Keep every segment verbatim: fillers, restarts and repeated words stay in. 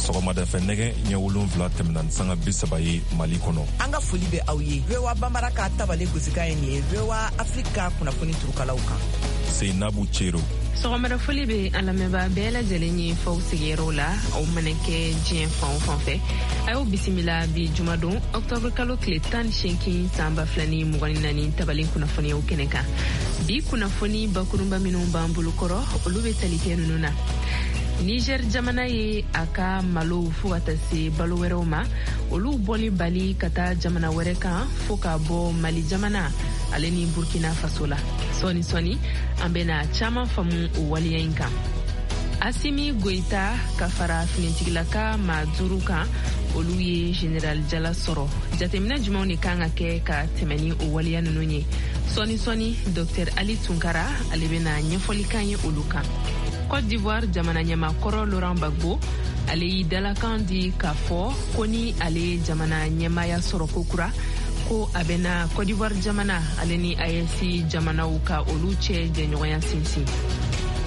Sɔgɔmada fɛ nɛgɛ ɲɛ wolonfila tɛmɛna ni sanga bi saba ye Mali kɔnɔ. An ka foli bɛ aw ye. V O A Bambara ka tabale gosikan ye nin ye V O A Afrique ka kunnafoni turukalaw kan. Seinabu Cero. Sɔgɔmada foli bɛ an lamɛnbaa bɛɛ lajɛlen ye faw sigiyɔrɔw la, aw mana kɛ diɲɛ fan o fan fɛ. A y'aw bisimila bi jumadon octobre kalo tile tan ni seegin san ba fila ni mugan ni naani tabalen kunnafoniyaw kɛnɛ kan. Bi kunnafoni bakurunba minnu b'an bolo kɔrɔ, olu bɛ tali kɛ ninnu na. Niger jamana ye a ka malo fo ka taa se balo wɛrɛw ma, olu bɔli bali ka taa jamana wɛrɛ kan fo ka bɔ Mali jamana ale ni Burkina Faso la. Sɔɔni sɔɔni an bɛna caman faamu o waleya in kan. Assimi Goïta ka fara finitigilaka maa duuru kan, olu ye général jala sɔrɔ. Jateminɛ jumɛnw de kan ka kɛ ka tɛmɛ ni o waleya ninnu ye? Sɔɔni sɔɔni Docteur Ali Tunkara ale bɛna ɲɛfɔli kan ye olu kan. Côte d'Ivoire jamana ɲɛmaakɔrɔ Laurent Gbagbo ale y'i dalakan di k'a fɔ ko ni ale ye jamana ɲɛmaaya sɔrɔ kokura, ko a bɛna Côte d'Ivoire jamana ale ni A E S jamanaw ka olu cɛ jɛɲɔgɔnya sinsin.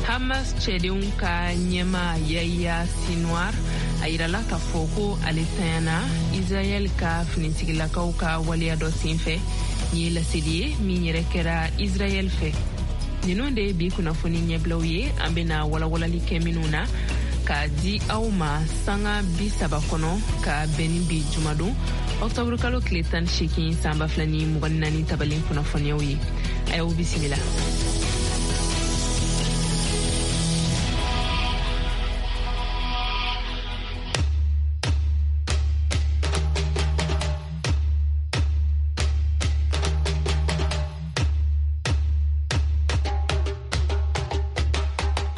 Hamas cɛdenw ka ɲɛma Yahya Sinwar a yirala k'a fɔ ko ale tanyana Israɛl ka finitigilakaw ka waleya dɔ senfɛ. Nin ye laseli ye min yɛrɛ kɛra Israɛl fɛ. Ninnu de ye bi kunnafoni ɲɛbilaw ye, an bɛna walawalali kɛ minnu na k'a di aw ma sanga bi saba kɔnɔ ka bɛn ni bi jumadon octobre kalo tile tan ni seegin san ba fila ni mugan ni naani tabalen kunnafoniyaw ye. A y'aw bisimila.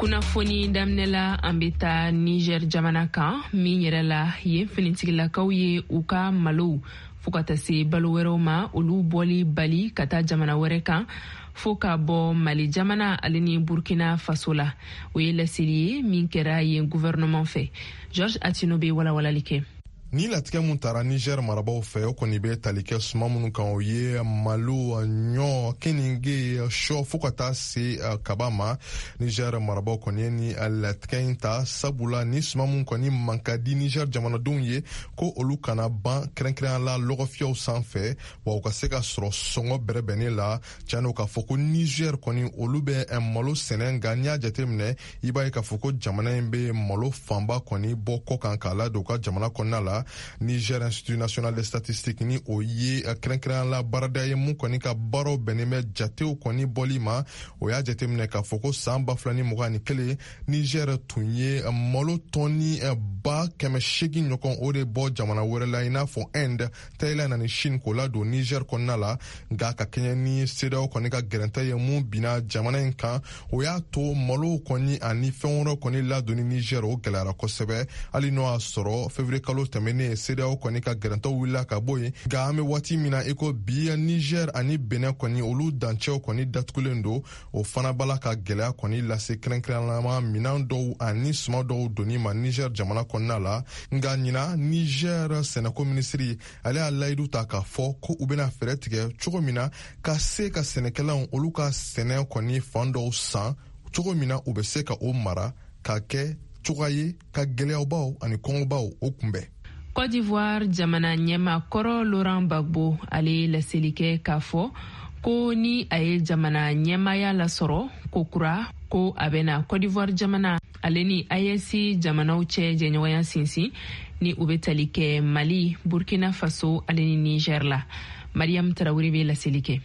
Kunnafoni daminɛ la, an bɛ taa Niger jamana kan min yɛrɛ la yen finitigilakaw ye u ka malow fo ka taa se balo wɛrɛw ma, olu bɔli bali ka taa jamana wɛrɛ kan fo ka bɔ Mali jamana ale ni Burkina Faso la. O ye laseli ye min kɛra yen gouvernement fɛ. George Atino bɛ walawalali kɛ. Ni latigɛ mun tara Niger marabaw fɛ, o kɔni bɛ tali kɛ suma minnu kan, o ye malo, ɲɔ, keninge, sɔ fo ka taa se kaba ma. Niger marabaw kɔni ye ni latigɛ in ta sabula ni suma mun kɔni man ka di Niger jamanadenw ye, ko olu kana ban kɛrɛnkɛrɛnya la lɔgɔfiyɛw sanfɛ, wa u ka se ka sɔrɔ sɔngɔ bɛrɛbɛnnen la. Tiɲɛ don k'a fɔ ko Niger kɔni olu bɛ malo sɛnɛ, nka n'i y'a jateminɛ i b'a ye k'a fɔ ko jamana in bɛ malo fanba kɔni bɔ kɔ kan k'a ladon u ka jamana kɔnɔna la. Niger Institut National des Statistiques ni o ye kɛrɛnkɛrɛnya la baarada ye mun kɔni ka baaraw bɛnnen bɛ jatew kɔni bɔli ma, o y'a jateminɛ k'a fɔ ko san ba fila ni mugan ni kelen Niger tun ye malo tɔni ba kɛmɛ seegin ɲɔgɔn o de bɔ jamana wɛrɛ la i n'a fɔ Inde, Thaïlande ani Chine k'o ladon Niger kɔnɔna la. Nka ka kɛɲɛ ni CEDEAO kɔni ka gɛrɛntɛ ye mun binna jamana in kan, o y'a to malo kɔni ani fɛn wɛrɛw kɔni ladonni Niger o gɛlɛyara kosɛbɛ. Hali n'o y'a sɔrɔ février kalo tɛmɛnen ne CEDEAO kɔni ka gɛrɛntɛw wulila ka bɔ yen, nka an bɛ waati min na i ko bi Niger ani Benin kɔni olu dancɛw kɔni datugulen don. O fana b'a la ka gɛlɛya kɔni lase kɛrɛnkɛrɛnnama minɛn dɔw ani suma dɔw donni ma Niger jamana kɔnɔna la. Nka ɲina Niger sɛnɛko minisiri ale y'a layidu ta k'a fɔ ko u bɛna fɛɛrɛ tigɛ cogo min na ka se ka sɛnɛkɛlaw olu ka sɛnɛ kɔni fan dɔw san cogo min na u bɛ se ka o mara ka kɛ cogoya ye ka gɛlɛyabaw ani kɔngɔbaw o kunbɛn. Côte d'Ivoire jamana ɲɛmaakɔrɔ Laurent Gbagbo ale ye laseli kɛ k'a fɔ ko ni a ye jamana ɲɛmaaya lasɔrɔ ko kura, ko a bɛna Côte d'Ivoire jamana ale ni A E S jamanaw cɛ jɛɲɔgɔnya sinsin ni u bɛ tali kɛ Mali, Burkina Faso ale ni Niger la. Mariam Traoré bɛ laseli kɛ.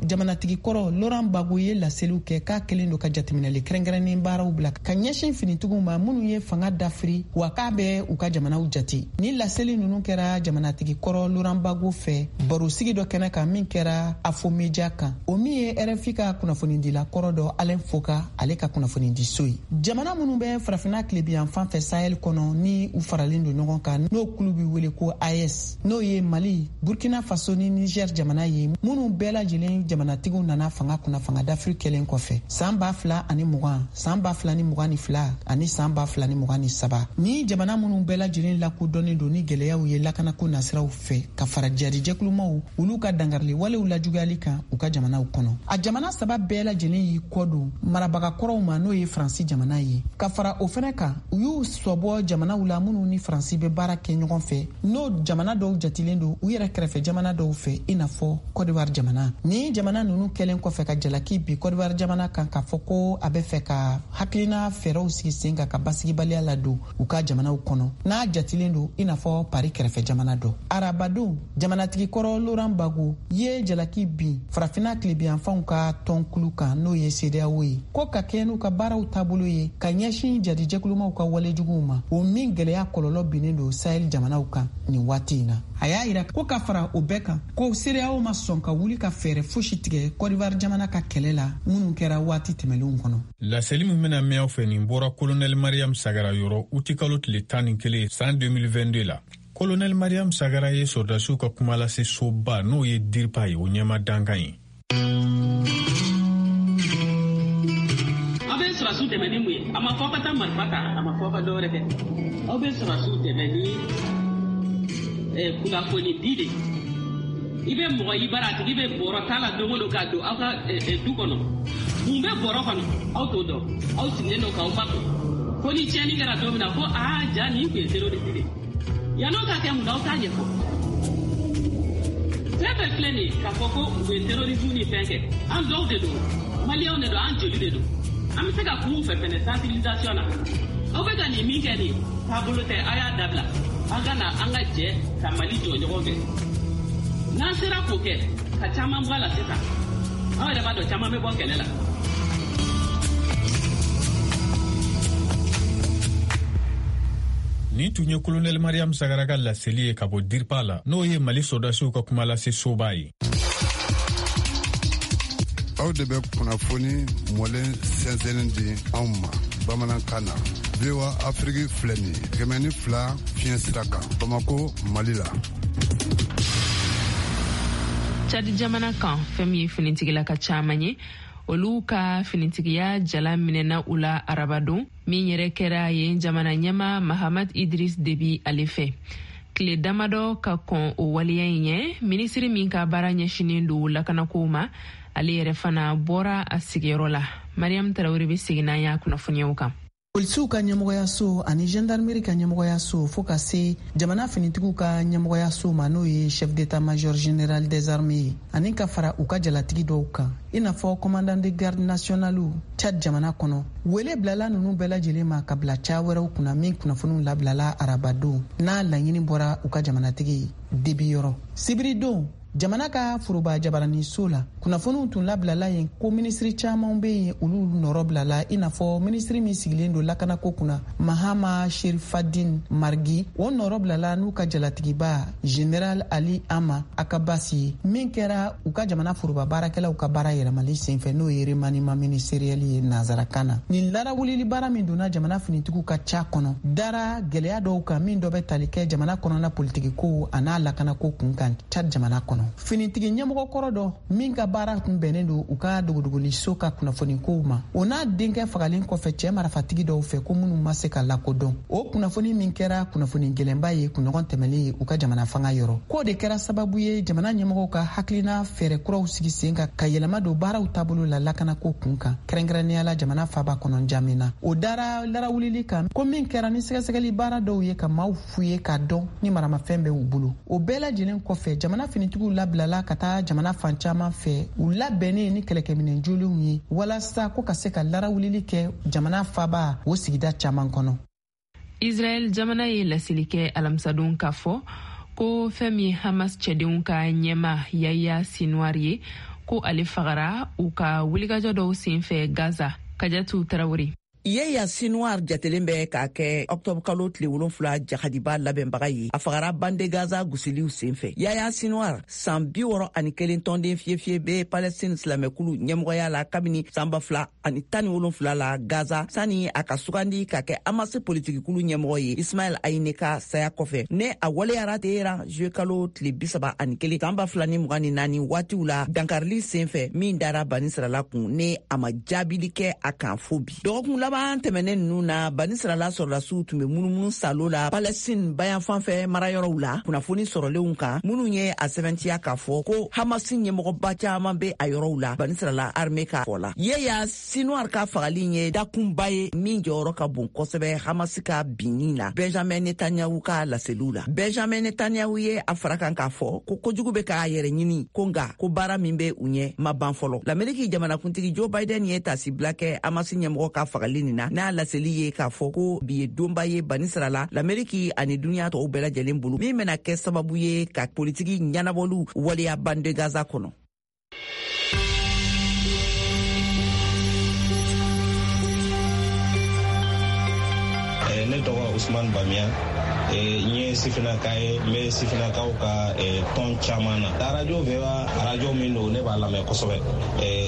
Jamanatigi kɔrɔ Laurent Gbagbo ye laseliw kɛ k'a kɛlen don ka jateminɛli kɛrɛnkɛrɛnnen baaraw bila ka ɲɛsin finitigiw ma minnu ye fanga dafiri, wa k'a bɛ u ka jamanaw jate. Ni laseli ninnu kɛra jamanatigi kɔrɔ Laurent Gbagbo fɛ barosigi dɔ kɛnɛ kan min kɛra Afo Media kan, o min ye R F I ka kunnafonidila kɔrɔ dɔ Alain Foka ale ka kunnafonidiso ye. Jamana minnu bɛ farafinna tilebiyanfan fɛ Sahel kɔnɔ ni u faralen don ɲɔgɔn kan, n'o kulu bɛ wele ko A E S, n'o ye Mali, Burkina Faso ni Niger jamana ye, minnu bɛɛ lajɛlen jamanatigiw nana fanga kunna fanga dafiri kɛlen kɔfɛ san ba fila ani mugan, san ba fila ni mugan ni fila ani san ba fila ni mugan ni saba. Ni jamana minnu bɛɛ lajɛlen lakodɔnnen don ni gɛlɛyaw ye lakanako nasiraw fɛ ka fara jadijɛkulumaw olu ka dangarili walew lajuguyali kan u ka jamanaw kɔnɔ. A jamana saba bɛɛ lajɛlen y'i kɔ don marabaga kɔrɔw ma, n'o ye Faransi jamana ye. Ka fara o fɛnɛ kan, u y'u sɔbɔ jamanaw la minnu ni Faransi bɛ baara kɛ ɲɔgɔn fɛ, n'o jamana dɔw jatilen don u yɛrɛ kɛrɛfɛ jamana dɔw fɛ, i n'a fɔ Côte d'Ivoire jamana. Ni jamana ninnu kɛlen kɔfɛ ka jalaki bi Côte d'Ivoire jamana kan k'a fɔ ko a bɛ fɛ ka hakilina fɛɛrɛw sigi sen kan ka basigibaliya ladon u ka jamanaw kɔnɔ, n'a jatilen don i n'a fɔ Paris kɛrɛfɛ jamana dɔ. Arabadon, jamanatigi kɔrɔ Laurent Gbagbo ye jalaki bin farafinna tilebiyanfanw ka tɔnkulu kan, n'o ye CEDEAO ye, ko ka kɛ n'u ka baaraw taabolo ye ka ɲɛsin jadijɛkulumaw ka walejuguw ma, o min gɛlɛya kɔlɔlɔ binnen don Sahel jamanaw kan nin waati in na. A y'a yira ko ka fara o bɛɛ kan, ko CEDEAO ma sɔn ka wuli ka fɛɛrɛ fosi tigɛ Côte d'Ivoire jamana ka kɛlɛ la minnu kɛra waati tɛmɛlenw kɔnɔ. Laseli min bɛna mɛn aw fɛ, nin bɔra Kolonɛli Mariam Sagara yɔrɔ utikalo tile tan ni kelen san deux mille vingt-deux la. Kolonɛli Mariam Sagara ye sɔrɔdasiw ka kumalase soba, n'o ye DIRPA ye, o ɲɛma dankan ye. Aw bɛ sɔrɔsiw dɛmɛ ni mun ye? A ma fɔ ka taa marifa ta, a ma fɔ ka dɔwɛrɛ kɛ. Aw bɛ sɔrɔsiw dɛmɛ ni kunnafoni di de. I bɛ mɔgɔ i bara, a tigi bɛ bɔrɔ ta la don o don ka don aw ka du kɔnɔ. Mun bɛ bɔrɔ kɔnɔ, aw t'o dɔn. Aw sigilen don k'aw makun fo ni tiɲɛni kɛra don min na ko aa, ja nin tun ye terroriste de. Yann'o ka kɛ, mun na aw t'a ɲɛfɔ? Fɛn fɛn filɛ nin ye k'a fɔ ko u ye terrorisme ni fɛn kɛ, an dɔw de don, maliyɛnw de don, an joli de don. An bɛ se ka kun fɛ fɛnɛ sensibilisation na. Aw bɛ ka nin min kɛ, nin taabolo tɛ, a y'a dabila. An ka na, an ka jɛ ka Mali jɔ ɲɔgɔn fɛ. N'an sera k'o kɛ ka caman bɔ a la sisan, aw yɛrɛ b'a dɔn caman bɛ bɔ kɛlɛ la. Nin tun ye Kolonɛli Mariam Sagara ka laseli ye ka bɔ DIRPA la, n'o ye Mali sɔrɔdasiw ka kumalase soba ye. Aw de bɛ kunnafoni mɔlen sɛnsɛnnin di anw ma bamanankan na. V O A Afiriki filɛ nin ye, kɛmɛ ni fila fiɲɛ sira kan, Bamako, Mali la. Chad jamana kan, fɛn min ye finitigilaka caman ye, olu ka finitigiya jala minɛna u la arabadon min yɛrɛ kɛra yen jamana ɲɛma Mahamad Idris Debi ale fɛ. Tile damadɔ ka kɔn o waleya in ɲɛ, minisiri min ka baara ɲɛsinen don lakanakow ma, ale yɛrɛ fana bɔra a sigiyɔrɔ la. Mariam Tarawele bɛ segin n'an y'a kunnafoniyaw kan. Polisiw ka ɲɛmɔgɔyaso ani gendarmerie ka ɲɛmɔgɔyaso, fo ka se jamana finitigiw ka ɲɛmɔgɔyaso ma, n'o ye chef d'état major général des armées ye, ani ka fara u ka jalatigi dɔw kan, i n'a fɔ commandant de garde nationale Tchad jamana kɔnɔ, wele bilala nunu bɛɛ lajɛlen ma ka bila ca wɛrɛw kunna, min kunnafoniw labilala arabadon, n'a laɲini bɔra u ka jamanatigi Debi yɔrɔ. Sibiridon, jamana ka foroba jabaraniso la, kunnafoniw tun labilala yen ko minisiri caman be yen, olu nɔrɔ bilala, i n'a fɔ minisiri min sigilen don lakanako kunna, Mahama Sherifadin Margi, o nɔrɔ bilala n'u ka jalatigiba Général Ali Ama Akabasi ye, min kɛra u ka jamana foroba baarakɛlaw ka baara yɛlɛmali senfɛ, n'o ye remaniement ministériel ye nanzarakan na. Nin larawulili baara min donna jamana finitigiw ka ca kɔnɔ, dara gwɛlɛya dɔw kan, min dɔ bɛ tali kɛ jamana kɔnɔna politikiko a n'a lakanako kun kan Chad jamana kɔnɔ. Finitigi ɲɛmɔgɔ kɔrɔ dɔ min ka baara tun bɛnnen don u ka dogodogoliso ka kunnafonikow ma, o n'a denkɛ fagalen kɔfɛ cɛɛ marafatigi dɔw fɛ, ko minnu ma se ka lakodɔn, o kunnafoni min kɛra kunnafoni gwɛlɛnba ye kunɲɔgɔn tɛmɛlen ye u ka jamana fanga yɔrɔ, k'o de kɛra sababu ye jamana ɲɛmɔgɔw ka hakilina fɛɛrɛ kuraw sigi sen kan ka yɛlɛma don baaraw taabolo la lakanako kun kan, kɛrɛnkɛrɛnnenya la jamana faba kɔnɔ Jamina. O dara larawulili kan ko min kɛra ni sɛgɛsɛgɛli baara dɔw ye ka maaw fu ye k'a dɔn ni maramafɛn bɛ u bolo. O bɛɛ lajɛlen kɔfɛ, jamana finitigiw labilala ka taa jamana fan caman fɛ, u labɛnnen ni kɛlɛkɛminɛ jolenw ye, walasa ko ka se ka larawulili kɛ jamana faba o sigida caman kɔnɔ. Israɛl jamana ye laseli kɛ alamisadon k'a fɔ ko fɛn min ye Hamas cɛdenw ka ɲɛma Yaya Sinuwari ye, ko ale fagara u ka wulikajɔ dɔw sen fɛ Gaza. Kajatu Tarawele. Yahya Sinwar jatelen bɛ k'a kɛ octobre kalo tile wolonfila jahadiba labɛnbaga ye. A fagara bande Gaza gosiliw senfɛ. Yahya Sinwar, san bi wɔɔrɔ ani kelen, tɔnden fiyefiye bɛ Palestine silamɛkulu ɲɛmɔgɔya la kabini san ba fila ani tan ni wolonfila la Gaza, sani a ka sugandi ka kɛ Hamas politikikulu ɲɛmɔgɔ ye Ismail Haniyeh ka saya kɔfɛ, ne a waleyara Teheran juillet kalo tile bi saba ani kelen san ba fila ni mugan ni naani waatiw la, dankarili senfɛ min dara Banisirala kun, ne a ma jaabili kɛ a kan fo bi. Dɔgɔkun laban tɛmɛnen ninnu na, Banisirala sɔrɔdasiw tun bɛ munumunu salo la Palestine bayanfan fɛ marayɔrɔw la, kunnafoni sɔrɔlenw kan minnu ye a sɛbɛntiya k'a fɔ ko Hamas ɲɛmɔgɔba caman bɛ a yɔrɔw la, Banisirala armée ka fɔ la. Yahya Sinwar ka fagali ye dakunba ye min jɔyɔrɔ ka bon kosɛbɛ Hamas ka binni na, Benjamin Netanyahu ka laseliw la. Benjamin Netanyahu ye a fara kan k'a fɔ ko kojugu bɛ k'a yɛrɛ ɲini, ko nka ko baara min bɛ u ɲɛ ma ban fɔlɔ. Lameriki jamanakuntigi Joe Biden ye tasibila kɛ Hamas ɲɛmɔgɔ ka fagali nin na, n'a laseli ye k'a fɔ ko bi ye donba ye Banisirala, Lameriki ani duniya tɔw bɛɛ lajɛlen bolo, min bɛna kɛ sababu ye ka politiki ɲɛnabɔliw waleya bande Gaza kɔnɔ. Ne tɔgɔ Usman Bamiya, n ye sifinnaka ye, n bɛ sifinnakaw ka tɔn caman na. Arajo V O A, arajo min don, ne b'a lamɛn kosɛbɛ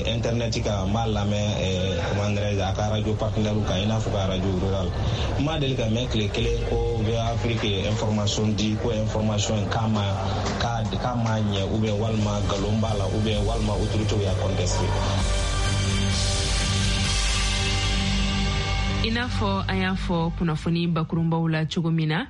internet kan, n b'a lamɛn, comment dirais-je, a ka arajo partenaire kan, i n'a fɔ ka arajo rural. N ma deli ka mɛn tile kelen ko V O A Afrique ye information di, ko information in k'a ma k'a ma ɲɛ, ou bien walima nkalon b'a la, ou bien walima autorité y'a contesté. I n'a fɔ an y'a fɔ kunnafoni bakurunbaw la cogo min na,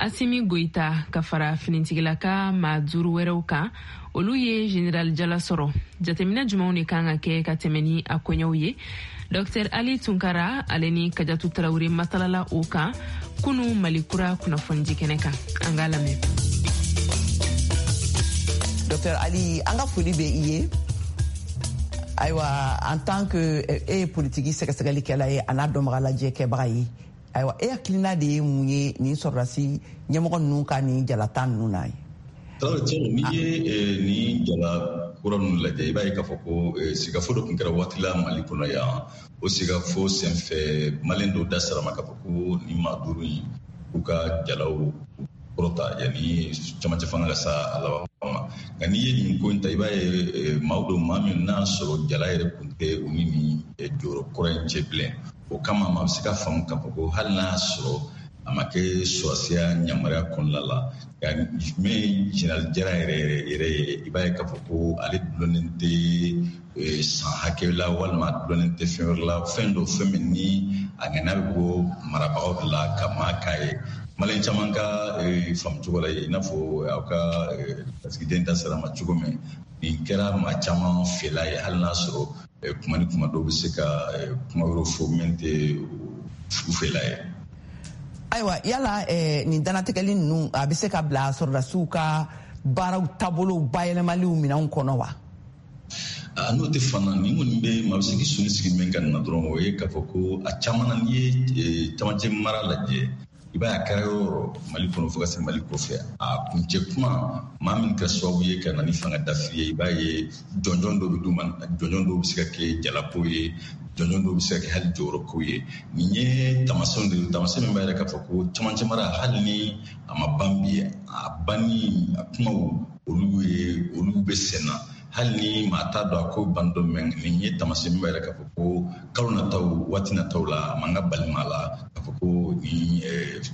Asimi Goyita ka fara finitigilaka maa duuru wɛrɛw kan, olu ye général jala sɔrɔ. Jateminɛ jumɛnw de kan ka kɛ ka tɛmɛ ni a koɲɛw ye? Docteur Ali Tunkara, ale ni Kajatu Tarawele masalala o kan kunu Mali Kura kunnafonidi kɛnɛ kan. An k'a lamɛn. Docteur Ali, an ka foli bɛ i ye. Ayiwa, en tant que e ye politiki sɛgɛsɛgɛlikɛla ye, a n'a dɔnbaga lajɛ kɛbaga ye, ayiwa, e hakilina de ye mun ye nin sɔrɔdasi ɲɛmɔgɔ ninnu ka nin jalata ninnu na ye? Tarawele, tiɲɛ, n'i ye nin jala kura ninnu lajɛ, i b'a ye k'a fɔ ko sigafo dɔ tun kɛra waati la Mali kɔnɔ yan. O sigafo senfɛ, maliyɛn dɔw da sera ma k'a fɔ ko nin maa duuru in, k'u ka jalaw kɔrɔta yanni camancɛ fanga ka sa a laban ma. Nka n'i ye nin ko in ta, i b'a ye maaw don, maa min n'a sɔrɔ jala yɛrɛ kun tɛ u ni nin jɔyɔrɔ kɔrɔ in cɛ bilen. O kama, maa bɛ se ka faamu k'a fɔ ko hali n'a sɔrɔ a ma kɛ sɔrɔsiya yamaruya kɔnɔna la, nka min ye général Jara yɛrɛ yɛrɛ ye, i b'a ye k'a fɔ ko ale dulonnen tɛ san hakɛ la, walima dulonnen tɛ fɛn wɛrɛ la, fɛn dɔ, fɛn min ni a ŋaniya bɛ bɔ marabagaw de la ka maa k'a ye. Maliyɛn caman ka faamu cogo la, i n'a fɔ aw ka lasigiden da sera ma cogo min, nin kɛra maa caman fɛla ye, hali n'a sɔrɔ kuma ni kuma dɔw bɛ se ka kuma wɛrɛw fɔ min tɛ u fɛla ye. Ayiwa, yala nin dannatigɛli ninnu, a bɛ se ka bila sɔrɔdasiw ka baaraw taabolow bayɛlɛmaliw minɛnw kɔnɔ wa? N'o tɛ fana, nin kɔni bɛ maa bɛ se k'i sɔnni sigi min kan na dɔrɔn, o ye k'a fɔ ko a caman na, n'i ye camancɛ mara lajɛ, i b'a ye a kɛra yɔrɔ yɔrɔ Mali kɔnɔ fo ka se Mali kɔfɛ, a kuncɛ kuma, maa min kɛra sababu ye ka na ni fanga dafiri ye, i b'a ye jɔnjɔn dɔw bɛ d'u ma, jɔnjɔn dɔw bɛ se ka kɛ jalako ye, jɔnjɔn dɔw bɛ se ka kɛ hali jɔyɔrɔko ye. Nin ye taamasiyɛnw de ye, taamasiyɛn min b'a yira k'a fɔ ko camancɛ mara, hali ni a ma ban bi, a banni a kumaw, olu ye olu bɛ sen na, hali ni maa t'a dɔn a ko ban dɔ mɛn. Nin ye taamasiyɛn min b'a yira k'a fɔ ko kalo nataw, waati nataw la, a man ka bali maa la k'a fɔ ko nin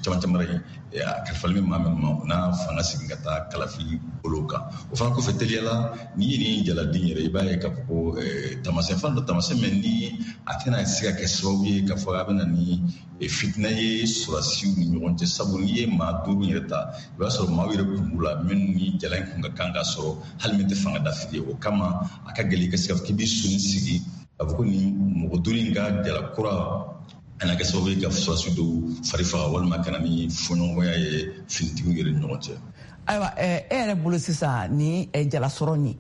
camancɛ mara in, a kalifalen bɛ maa min ma, o n'a fanga segin ka taa kalafili bolo kan. O fana kɔfɛ, teliya la, n'i ye nin jaladen yɛrɛ, i b'a ye k'a fɔ ko taamasiyɛn fana dɔ, taamasiyɛn min ni a tɛna se ka kɛ sababu ye k'a fɔ a bɛ na ni fitinɛ ye sɔrɔdasiw ni ɲɔgɔn cɛ, sabu n'i ye maa duuru yɛrɛ ta, i b'a sɔrɔ maaw yɛrɛ kun b'u la minnu ni jala in kun ka kan ka sɔrɔ, hali min tɛ fanga dafiri ye. O kama, a ka gɛlɛn i ka se k'a fɔ k'i b'i sɔnni sigi k'a fɔ ko nin mɔgɔ duuru in ka jala kura a na kɛ sababu ye ka sɔrɔdasi dɔw fari faga, walima ka na ni fɔɲɔgɔnya ye finitigiw yɛrɛ ni ɲɔgɔn cɛ. Ayiwa, e yɛrɛ bolo sisan, ni jalasɔrɔ nin,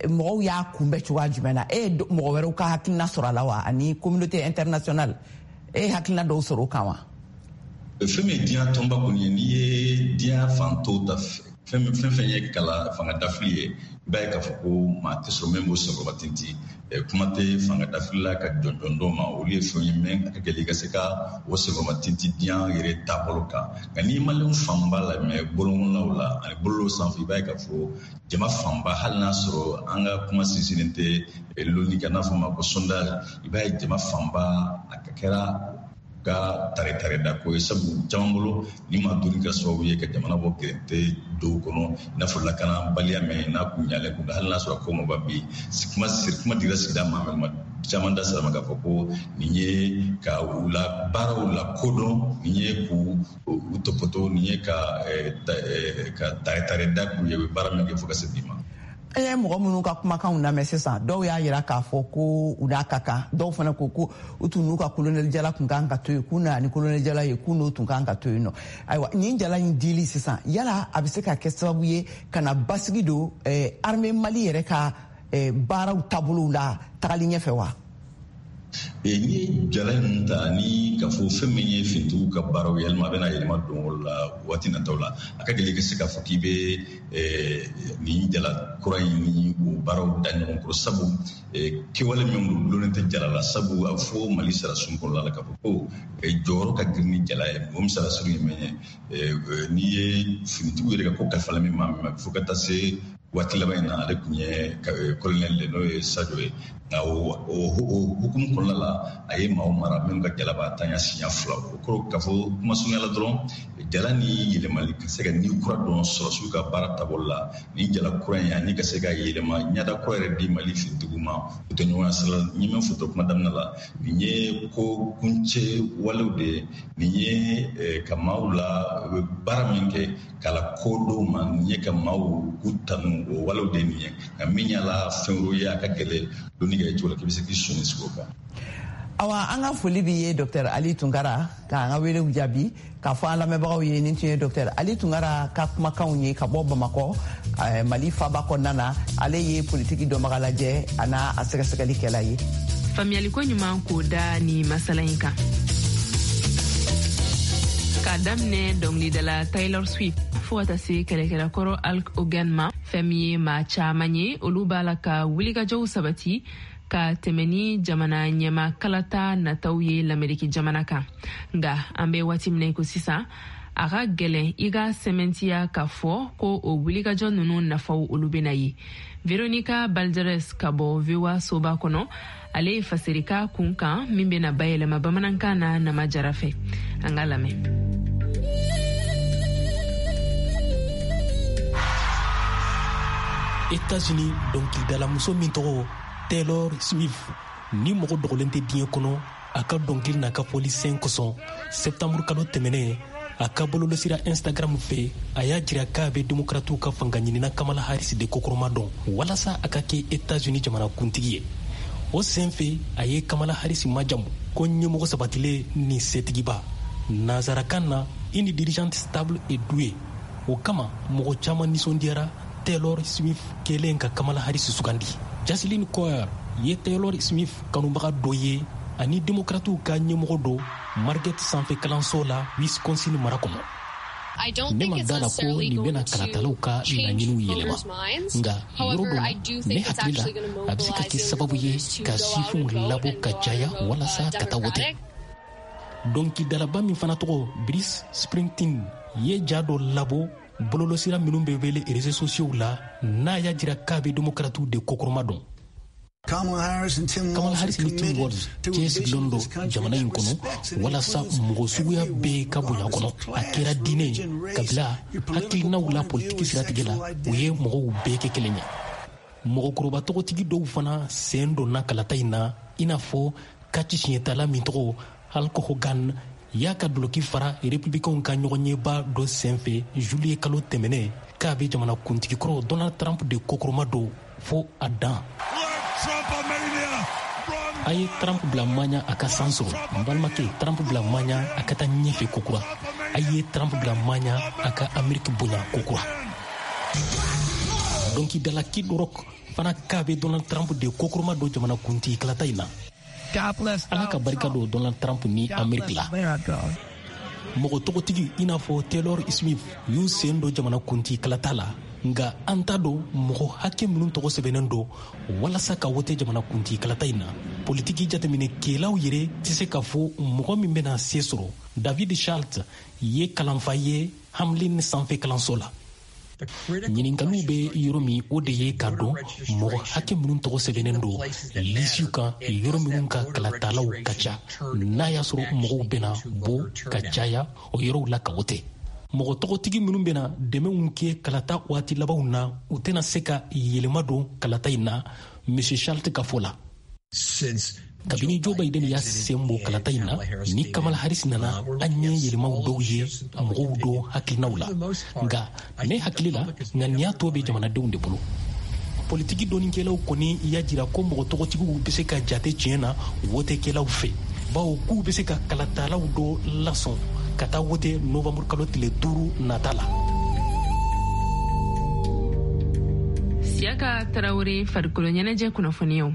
mɔgɔw y'a kunbɛn cogoya jumɛn na? E ye mɔgɔ wɛrɛw ka hakilina sɔrɔ a la wa, ani communauté internationale, e ye hakilina dɔw sɔrɔ o kan wa? Fɛn min ye diɲɛ tɔnba kɔni ye, n'i ye diɲɛ fan tɔw ta Fɛn fɛn fɛn ye kala fanga dafili ye, i b'a ye k'a fɔ ko maa tɛ sɔrɔ min b'o senkɔrɔba tintin. Kuma tɛ fanga dafili la ka jɔnjɔn dɔw ma, olu ye fɛn ye min a ka gɛlɛn i ka se ka o senkɔrɔba tintin diɲɛ yɛrɛ taabolo kan. Nka n'i maliyɛnw fanba lamɛn bɔlɔnkɔnɔnaw la ani bɔlɔlɔ sanfɛ, i b'a ye k'a fɔ jama fanba, hali n'a sɔrɔ an ka kuma sinsinnen tɛ lonni kan n'a fɔ ma ko sondage, i b'a ye jama fanba a kɛra ka tare tare da ko ye, sabu caman bolo ni ma donni kɛra sababu ye ka jamana bɔ gɛrɛntɛ dɔw kɔnɔ, i n'a fɔ lakanabaliya mɛn n'a kun ɲalen kun, hali n'a sɔrɔ ko ma ba bi kuma kuma dira sigida ma mɛ caman da sera ma k'a fɔ ko nin ye ka u la baaraw la kodɔn, nin ye k'u u tɔpɔtɔ, nin ye ka ka tare tare da k'u ye u bɛ baara min kɛ fo ka se bi ma. An ye mɔgɔ minnu ka kumakanw lamɛn sisan, dɔw y'a yira k'a fɔ ko u n'a ka kan, dɔw fana ko ko u tun n'u ka kolonɛli jala tun kan ka to yen, k'u nana ni kolonɛli jala ye, k'u n'o tun kan ka to yen nɔ. Ayiwa, nin jala in dili sisan, yala a bɛ se ka kɛ sababu ye ka na basigi don eh, armée Mali yɛrɛ ka eh, baaraw taabolow la tagali ɲɛfɛ wa? N'i ye jala ninnu ta ni k'a fɔ fɛn min ye finitigiw ka baaraw yɛlɛma, a bɛna yɛlɛma don o la waati nataw la, a ka gɛlɛn i ka se k'a fɔ k'i bɛ nin jala kura in ni o baaraw da ɲɔgɔn kɔrɔ, sabu kɛwale min don gulonnen tɛ jala la, sabu a bɛ fɔ Mali sarasun kɔnɔna la k'a fɔ ko jɔyɔrɔ ka girin ni jala ye. O misaliya ye min ye, n'i ye finitigiw yɛrɛ ka ko kalifala min ma min fo ka taa se waati laban in na, ale tun ye kolonɛli de, n'o ye Sadio ye. Nka o hukumu kɔnɔna la, a ye maaw mara minnu ka jala b'a tanya siɲɛ fila. O kɔrɔ k'a fɔ kuma surunya la dɔrɔn, jala ni yɛlɛmali ka se ka ni kura dɔn sɔrɔsiw ka baara taabolo la, ni jala kura in ani ka se ka yɛlɛma ɲɛda kura yɛrɛ di Mali finitigiw ma, o tɛ ɲɔgɔn sira la. N ye min fɔ to kuma daminɛ la, nin ye ko kuncɛ walew de ye, nin ye ka maaw la baara min kɛ k'a la ko dɔw ma, nin ye ka maaw k'u tanu, o walew de nin ye. Nka min y'a la fɛn wɛrɛw ye, a ka gɛlɛn donni kɛ cogo la k'i bɛ se k'i sɔnni sigi o kan. Awa, an ka foli b'i ye Docteur Ali Tunkara k'an ka welew jaabi, k'a fɔ an lamɛnbagaw ye nin tun ye Docteur Ali Tunkara ka kumakanw ye ka bɔ Bamakɔ, Mali faaba kɔnɔna na. Ale ye politiki dɔnbaga lajɛ a n'a a sɛgɛsɛgɛlikɛla ye. Faamuyaliko ɲuman k'o da ni masala in kan. K'a daminɛ dɔnkilidala Taylor Swift fo ka taa se kɛlɛkɛlakɔrɔ Hulk Hogan ma, fɛn min ye maa caman ye, olu b'a la ka wulikajɔw sabati ka tɛmɛ ni jamana ɲɛma kalata nataw ye Lameriki jamana kan. Nka an bɛ waati min na i ko sisan, a ka gɛlɛn i ka sɛmɛntiya k'a fɔ ko o wulikajɔ ninnu nafaw olu bɛna ye. Veronica Balderas ka bɔ V O A soba kɔnɔ, ale ye fasirika kun kan min bɛna bayɛlɛma bamanankan na Nama Jara fɛ. An ka lamɛn. États-Unis dɔnkilidalamuso min tɔgɔ Taylor Swift ni mɔgɔ dogolen tɛ diɲɛ kɔnɔ a ka dɔnkili n'a ka fɔli sen kosɔn, septembre kalo tɛmɛnen a ka bɔlɔlɔsira Instagram fɛ, a y'a jira k'a bɛ demokratiw ka fanga ɲinina Kamala Harris de kokɔrɔma dɔn walasa a ka kɛ États-Unis jamanakuntigi ye. O sen fɛ, a ye Kamala Harris majamu ko ɲɛmɔgɔ sabatilen ni setigiba, nansarakan na une dirigeante stable et douée. O kama mɔgɔ caman nisɔndiyara Taylor Swift kɛlen ka Kamala Harris sugandi. Jocelyn Coer ye Taylor Swift kanubaga dɔ ye ani demokratiw ka ɲɛmɔgɔ dɔ Marquette sanfɛ kalanso la Wisconsin mara kɔnɔ. Ne ma da la ko nin bɛna kalatalaw ka laɲiniw yɛlɛma, nka yɔrɔ dɔ la, ne hakili la a bɛ se ka kɛ sababu ye ka sifinw labɔ ka caya walasa ka taa wote. Dɔnkilidalaba min fana tɔgɔ Bruce Springsteen ye ja dɔ labɔ bɔlɔlɔsira minnu bɛ wele réseaux sociaux la, n'a y'a jira k'a bɛ demokratiw de kokɔrɔma dɔn. Kamala Harris ni Tim Walz cɛsirilen don jamana in kɔnɔ walasa mɔgɔ suguya bɛɛ ka bonya kɔnɔ, a kɛra diinɛ, kabila, hakilinaw la, politiki siratigɛ la, u ye mɔgɔw bɛɛ kɛ kelen ye. Mɔgɔkɔrɔba tɔgɔtigi dɔw fana sen donna kalata in na, i n'a fɔ kaci siɲɛtala min tɔgɔ Hulk Hogan y'a ka doloki fara republicainw ka ɲɔgɔnyeba dɔ senfɛ juillet kalo tɛmɛnen k'a bɛ jamanakuntigi kɔrɔ Donald Trump de kokɔrɔma don fo a dan. A ye Trump bila maɲa a ka san sɔrɔ, n balimakɛ, Trump bila maɲa a ka taa ɲɛfɛ kokura. A ye Trump bila maɲa a ka Ameriki bonya kokura. Dɔnkilidala Kid Rock fana k'a bɛ Donald Trump de kokɔrɔma don jamanakuntigi kalata in na. Ala ka barika don Donald Trump ni Ameriki la. Mɔgɔ tɔgɔtigi i n'a fɔ Taylor Swift y'u sen don jamanakuntigi kalata la, nka an t'a dɔn mɔgɔ hakɛ minnu tɔgɔ sɛbɛnnen don walasa ka wote jamanakuntigi kalata in na. Politiki jateminɛkɛlaw yɛrɛ tɛ se k'a fɔ mɔgɔ min bɛna se sɔrɔ. David Schultz ye kalanfa ye Hamlin sanfɛ kalanso la. Ɲininkaliw bɛ yɔrɔ min, o de ye k'a dɔn mɔgɔ hakɛ minnu tɔgɔ sɛbɛnnen don lisiw kan yɔrɔ minnu ka kalatalaw ka ca, n'a y'a sɔrɔ mɔgɔw bɛna bɔ ka caya o yɔrɔw la ka wote. Mɔgɔ tɔgɔtigi minnu bɛna dɛmɛw kɛ kalata waati labanw na, u tɛna se ka yɛlɛma don kalata in na, Monsieur Schultz ka fɔ la. Kabini Joe Biden y'a sen bɔ kalata in na ni Kamala Harris nana, an ye yɛlɛmaw dɔw ye mɔgɔw dɔ hakilinaw la, nka ne hakili la ŋaniya tɔ bɛ jamanadenw de bolo. Politiki dɔnnikɛlaw kɔni y'a jira ko mɔgɔ tɔgɔtigiw bɛ se ka jate tiɲɛ na wotekɛlaw fɛ, bawo k'u bɛ se ka kalatalaw dɔ lasɔn ka taa wote novembre kalo tile duuru nata la. Siyaka Tarawele, farikolo ɲɛnajɛ kunnafoniyaw.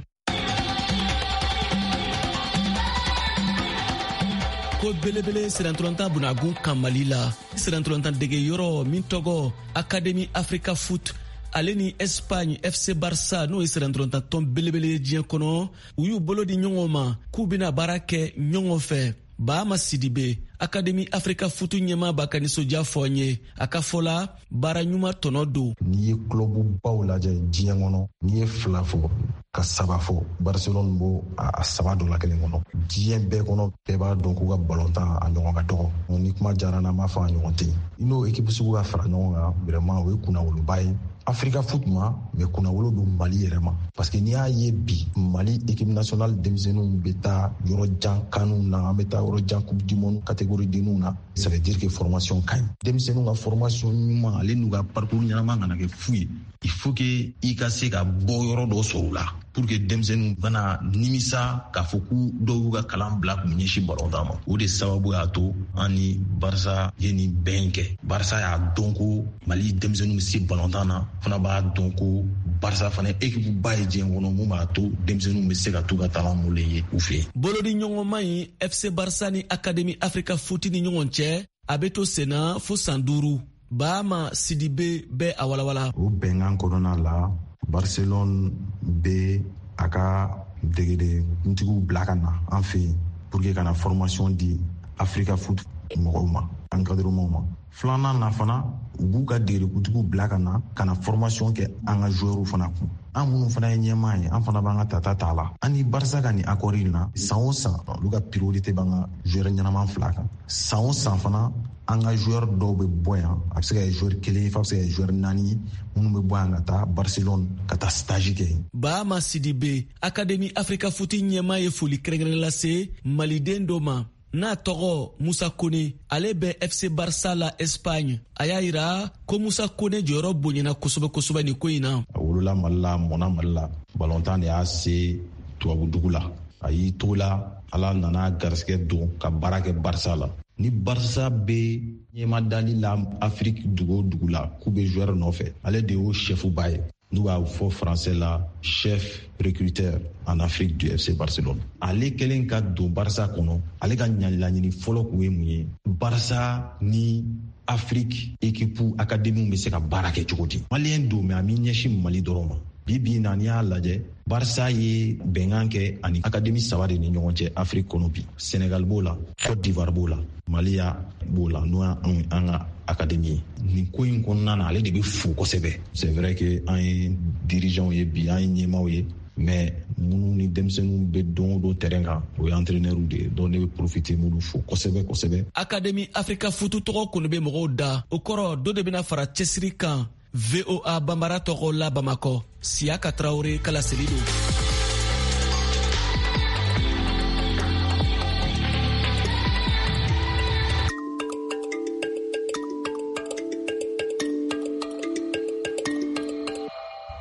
Ko belebele sirantolatan bunagun kan Mali la, sirantolatan dege yɔrɔ min tɔgɔ Académie Africa Foot, ale ni Espagne F C Barça, n'o ye sirantolatan tɔn belebele ye diɲɛ kɔnɔ, u y'u bolo di ɲɔgɔn ma k'u bɛna baara kɛ ɲɔgɔn fɛ. Baama Sidibe, Académie Africa Foot ɲɛmaa b'a ka nisɔndiya fɔ an ye. A ka fɔ la, baara ɲuman tɔnɔ don. N'i ye club-baw lajɛ diɲɛ kɔnɔ, n'i ye fila fɔ ka saba fɔ, Barcelone b'o a saba dɔ la kelen kɔnɔ. Diɲɛ bɛɛ kɔnɔ, bɛɛ b'a dɔn k'u ka balontan a ɲɔgɔn ka dɔgɔ. Ni kuma diyara n na, n b'a fɔ a ɲɔgɔn tɛ yen. I n'o équipe sugu ka fara ɲɔgɔn kan, vraiment o ye kunnawoloba ye Africa Foot ma, mais kunnawolo don Mali yɛrɛ ma. Parce que n'i y'a ye bi, Mali équipe nationale denmisɛnninw bɛ taa yɔrɔ jan CANw na, an bɛ taa yɔrɔ jan Coupe du monde catégorie denninw na. Ça veut dire que formation ka ɲi. Denmisɛnninw ka formation ɲuman, ale n'u ka parcours ɲɛnama kana kɛ fu ye. Il faut que i ka se ka bɔ yɔrɔ dɔ sɔrɔ u la pour que denmisɛnninw kana nimisa k'a fɔ k'u dɔw y'u ka kalan bila k'u ɲɛsin balontan ma. O de sababu y'a to an ni Barça ye nin bɛn kɛ. Barça y'a dɔn ko Mali denmisɛnninw bɛ se balontan na, fana b'a dɔn ko Barça fana équipe ba ye diɲɛ kɔnɔ mun b'a to denmisɛnninw bɛ se ka t'u ka talent molen ye u fɛ yen. Bolodi ɲɔgɔnma in F C Barça ni Académie Africa Foot ni ɲɔgɔn cɛ, a bɛ to senna fo san duuru. Baama Sidibe bɛ a walawala. O bɛnkan kɔnɔna la, Barcelone bɛ a ka degeden kuntigiw bila ka na an fɛ yen pour que ka na formation di Africa Foot mɔgɔw ma, encadrement ma. Filanan na fana, u b'u ka degedekuntigiw bila ka na ka na formation kɛ an ka joueurs fana kun. An minnu fana ye ɲɛmaa ye, an fana b'an ka tata t'a la. An ni Barça ka nin accord in na, san o san olu ka priorité b'an ka joueur ɲɛnama fila kan. San o san fana, an ka joueur dɔw bɛ bɔ yan, a bɛ se ka kɛ joueur kelen ye, f'a bɛ se ka kɛ joueur naani ye, minnu bɛ bɔ yan ka taa Barcelone ka taa stage kɛ yen. Baama Sidibe, Académie Africa Foot ɲɛmaa ye foli kɛrɛnkɛrɛn lase Maliden dɔ ma n'a tɔgɔ Musa Kone, ale bɛ F C Barça la Espagne. A y'a yira ko Musa Kone jɔyɔrɔ bonyana kosɛbɛ kosɛbɛ nin ko in na. A wolola Mali la, a mɔnna Mali la, balontan de y'a se tubabudugu la. A y'i to la, Ala nana garisɛgɛ don ka baara kɛ Barça la. Ni Barça bɛ ɲɛmadali la Afrique dugu o dugu la k'u bɛ joueur nɔfɛ, ale de y'o chef ba ye. N'u b'a fɔ français la, chef recruteur en Afrique du F C Barcelone. Ale kɛlen ka don Barça kɔnɔ, ale ka laɲini fɔlɔ kun ye mun ye? Barça ni Afrique équipe académie bɛ se ka baara kɛ cogo di? Malien don, mais a m'i ɲɛsin Mali dɔrɔn ma. Bi bi in na, n'i y'a lajɛ, Barça ye bɛnkan kɛ ani académie saba de ni ɲɔgɔn cɛ Afrique kɔnɔ bi. Sénégal b'o la, Côte d'Ivoire b'o la, Mali b'o la, n'o y'an an ka académie ye. Nin ko in kɔnɔna na, ale de bɛ fo kosɛbɛ. C'est vrai que an ye dirigeants ye bi, an ye ɲɛmaaw ye, mais minnu ni denmisɛnninw bɛ don o don terrain kan, o ye entraîneurs de ye. Donc ne bɛ profiter m'olu fo kosɛbɛ kosɛbɛ. Académie Africa Foot tɔgɔ kɔni bɛ mɔgɔw da, o kɔrɔ dɔ de bɛna fara cɛsiri kan. V O A Bambara tɔgɔ la Bamakɔ, Siyaka Tarawele kalaseli don.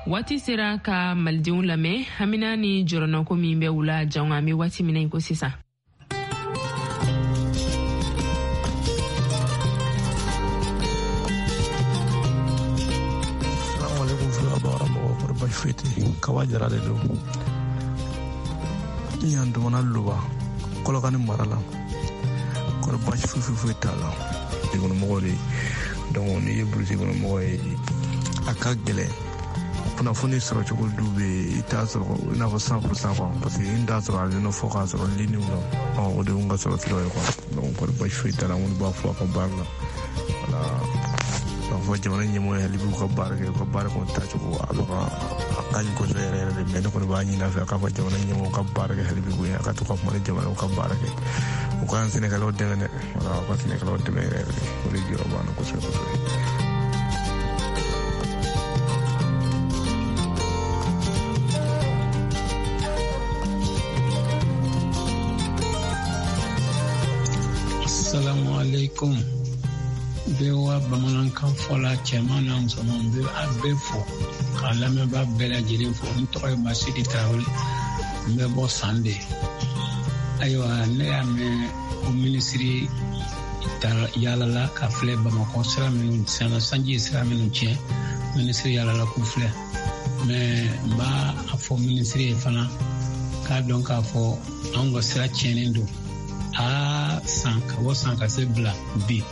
Waati sera ka malidenw lamɛn hamina ni jɔrɔnɔko min bɛ u la jango an bɛ waati min na i ko sisan. Foyi tɛ Kaba Jara de don. N y'an dumana Luba Kɔlɔkani mara la. Kɔrɔ baasi foyi foyi foyi t'a la. Kɔnɔmɔgɔ de, donc n'i ye burusi kɔnɔmɔgɔ ye, a ka gɛlɛn kunnafoni sɔrɔ cogo du bɛ yen, i t'a sɔrɔ i n'a fɔ cent pour cent quoi, parce que n t'a sɔrɔ a nɔ fɔ k'a sɔrɔ ligne la, o de ye n ka sɔrɔ siraw ye quoi. Donc kɔrɔ baasi foyi t'a la, n kɔni b'a fɔ a ka baara la, voilà. K'a fɔ jamana ɲɛmɔgɔ ye hali b'u ka baara kɛ, u ka baara kɔni taacogo a bɛ ka a ka ɲi kosɛbɛ yɛrɛ yɛrɛ de, mais ne kɔni b'a ɲini a fɛ a k'a fɔ jamana ɲɛmɔgɔw ka baara kɛ hali bi koyi, a ka to ka kuma ni jamanaw ka baara kɛ, u ka sɛnɛkɛlaw dɛmɛ dɛ, voilà, u ka sɛnɛkɛlaw dɛmɛ yɛrɛ yɛrɛ de, o de jɔyɔrɔ b'an na kosɛbɛ kosɛbɛ. Assalamu alaikum. V O A bamanankan fɔla cɛman n'a musoman, n bɛ a bɛɛ fo k'a lamɛnbaa bɛɛ lajɛlen fo. N tɔgɔ ye Masidi Tarawele, n bɛ bɔ Sande. Ayiwa, ne y'a mɛn ko minisiri yaalala ka filɛ Bamakɔ sira minnu tiɲɛna, sanji ye sira minnu tiɲɛ, minisiri yaalala k'u filɛ. Mais n b'a a fɔ minisiri ye fana k'a dɔn k'a fɔ anw ka sira tiɲɛnen don. Aa, san ka bɔ san ka se bila bi,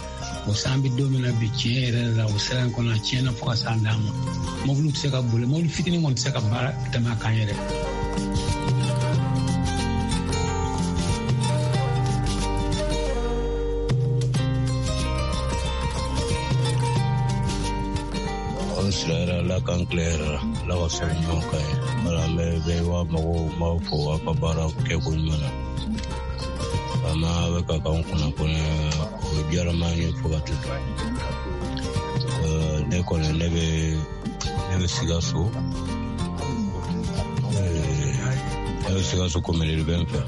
o san bɛ don min na bi, tiɲɛ yɛrɛ la o sira in kɔnɔ a tiɲɛna fo ka s'an dan ma. Mɔbiliw tɛ se ka boli, mɔbili fitinin kɔni tɛ se ka baara tɛmɛ a kan yɛrɛ. An sira yɛrɛ Ala k'an tile yɛrɛ la, Ala ka sira ɲuman k'an ye. Wala an bɛ bɛɛ wa mɔgɔw b'aw fo aw ka baara kɛko ɲuman na. Ama bɛ ka k'anw kunnafoni, o diyara n ye fo ka taa. Ne kɔni ne bɛ ne bɛ Sikaso, ne bɛ Sikaso komini bɛ n fɛ.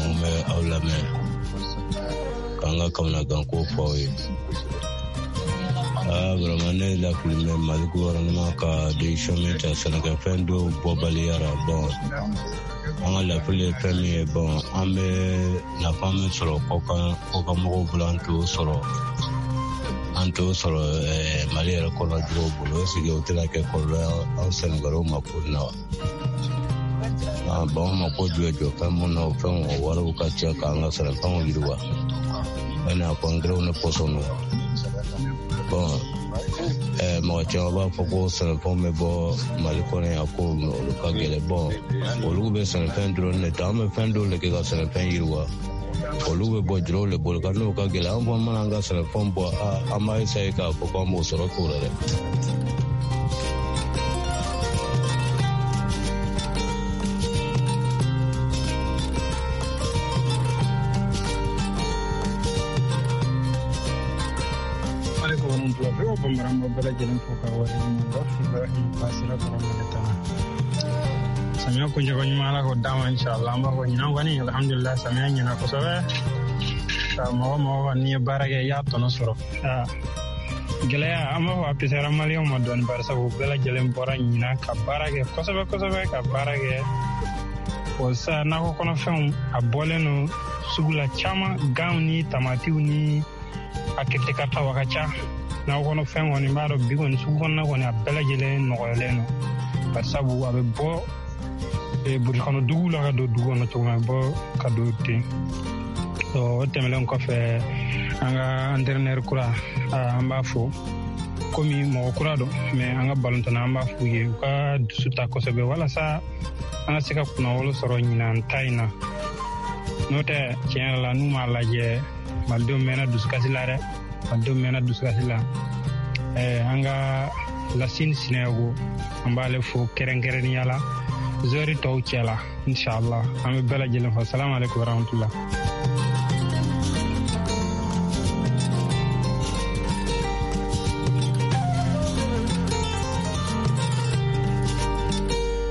N bɛ aw lamɛn k'an ka kamanaganko fɔ aw ye. Aa, vraiment ne lafili bɛ Mali gouvernement ka décision min ta sɛnɛkɛfɛn dɔw bɔbaliya la. Bon, an ka lafili ye fɛn min ye, bon an bɛ nafa min sɔrɔ kɔkan kɔkan mɔgɔw bolo, an t'o sɔrɔ an t'o sɔrɔ Mali yɛrɛ kɔnɔ juguw bolo. Est-ce que o tɛna kɛ kɔlɔlɔ ye an sɛnɛkɛlaw ma ko in na wa? Bon, an mako jɔ jɔ fɛn mun na, o fɛnw o wariw ka ca k'an ka sɛnɛfɛnw yiriwa, i n'a fɔ angɛrɛw ni pɔsɔniw. Bon, mɔgɔ caman b'a fɔ ko sɛnɛfɛnw bɛ bɔ Mali kɔnɔ yan, ko olu ka gɛlɛn. Bon, olu bɛ sɛnɛfɛn dɔrɔn de ta, an bɛ fɛn dɔw de kɛ ka sɛnɛfɛn yiriwa, olu bɛ bɔ jɔrɔw de bolo ka n'o ka gɛlɛn. An fana mana an ka sɛnɛfɛnw bɔ, an b'a essayer k'a fɔ k'an b'o sɔrɔ k'o la dɛ. Bamanan bɛɛ lajɛlen fo ka waleɲuman dɔn. Ibrahim Basira kɔrɔ Malitana. Samiya kuncɛko ɲuman Ala k'o d'an ma inshallah. An b'a fɔ ɲinan kɔni alhamdulillah samiya ɲɛna kosɛbɛ. Ka mɔgɔ mɔgɔ kɔni n'i ye baara kɛ i y'a tɔnɔ sɔrɔ. Gɛlɛya an b'a fɔ a pisara maliyɛnw ma dɔɔni, bari sabu bɛɛ lajɛlen bɔra ɲinan ka baara kɛ kosɛbɛ kosɛbɛ ka baara kɛ. O sa nakɔ kɔnɔfɛnw a bɔlen don sugu la caman, ganw ni tamatiw ni a kiritikaritaw a ka ca. Nakɔ kɔnɔfɛn kɔni b'a dɔn bi kɔni sugu kɔnɔna kɔni a bɛɛ lajɛlen nɔgɔyalen don, bari sabu a bɛ bɔ burusi kɔnɔ duguw la ka don dugu kɔnɔ cogo min, a bɛ bɔ ka don ten. O tɛmɛnen kɔfɛ, an ka entraîneur kura an b'a fo, komi mɔgɔ kura don, mais an ka balontanna an b'a f'u ye u ka dusu ta kosɛbɛ walasa an ka se ka kunnawolo sɔrɔ ɲinan ta in na. N'o tɛ tiɲɛ yɛrɛ la n'u m'a lajɛ malidenw mɛnna dusukasi la dɛ, malidenw mɛnna dusukasi la. An ka Lasine Sinayogo an b'ale fo kɛrɛnkɛrɛnnenya la zɔri tɔw cɛ la inshallah. An bɛ bɛɛ lajɛlen fo. Salamu alaikum warahmatullah.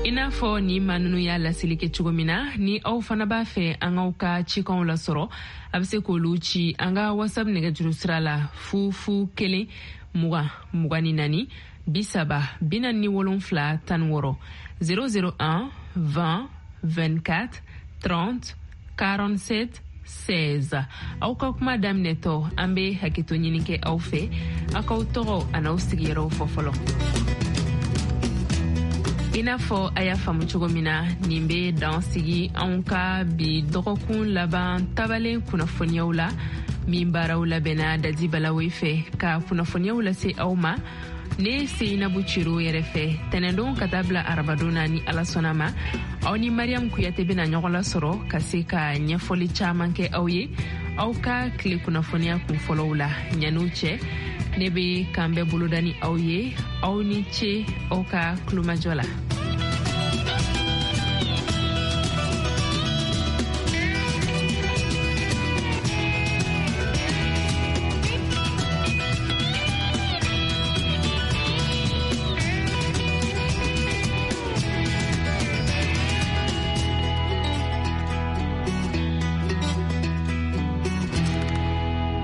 I n'a fɔ ni maa ninnu y'a laseli kɛ cogo min na, ni aw fana b'a fɛ an k'aw ka cikanw lasɔrɔ, a bɛ se k'olu ci an ka WhatsApp nɛgɛjuru sira la fu fu kelen mugan mugan ni naani bi saba bi naani ni wolonfila tan ni wɔɔrɔ zéro zéro un vingt vingt-quatre trente quarante-sept seize. Aw ka kuma daminɛtɔ, an bɛ hakɛto ɲini kɛ aw fɛ, aw k'aw tɔgɔ an'aw sigiyɔrɔw fɔ fɔlɔ. I n'a fɔ a y'a faamu cogo min na, nin bɛ dan sigi anw ka bi dɔgɔkun laban tabalen kunnafoniyaw la, min baaraw labɛnna Dadi Balawe fɛ ka kunnafoniyaw lase aw ma ne Seyinabu Ciro yɛrɛ fɛ tɛnɛndon ka taa bila arabadon na. Ni Ala sɔnna ma, aw ni Mariam Kuyate bɛna ɲɔgɔn lasɔrɔ ka se ka ɲɛfɔli caman kɛ aw ye aw ka tile kunnafoniya kun fɔlɔw la. Ɲan'o cɛ, ne be kan bɛɛ boloda ni aw ye. Aw ni ce aw ka kulomajɔ la.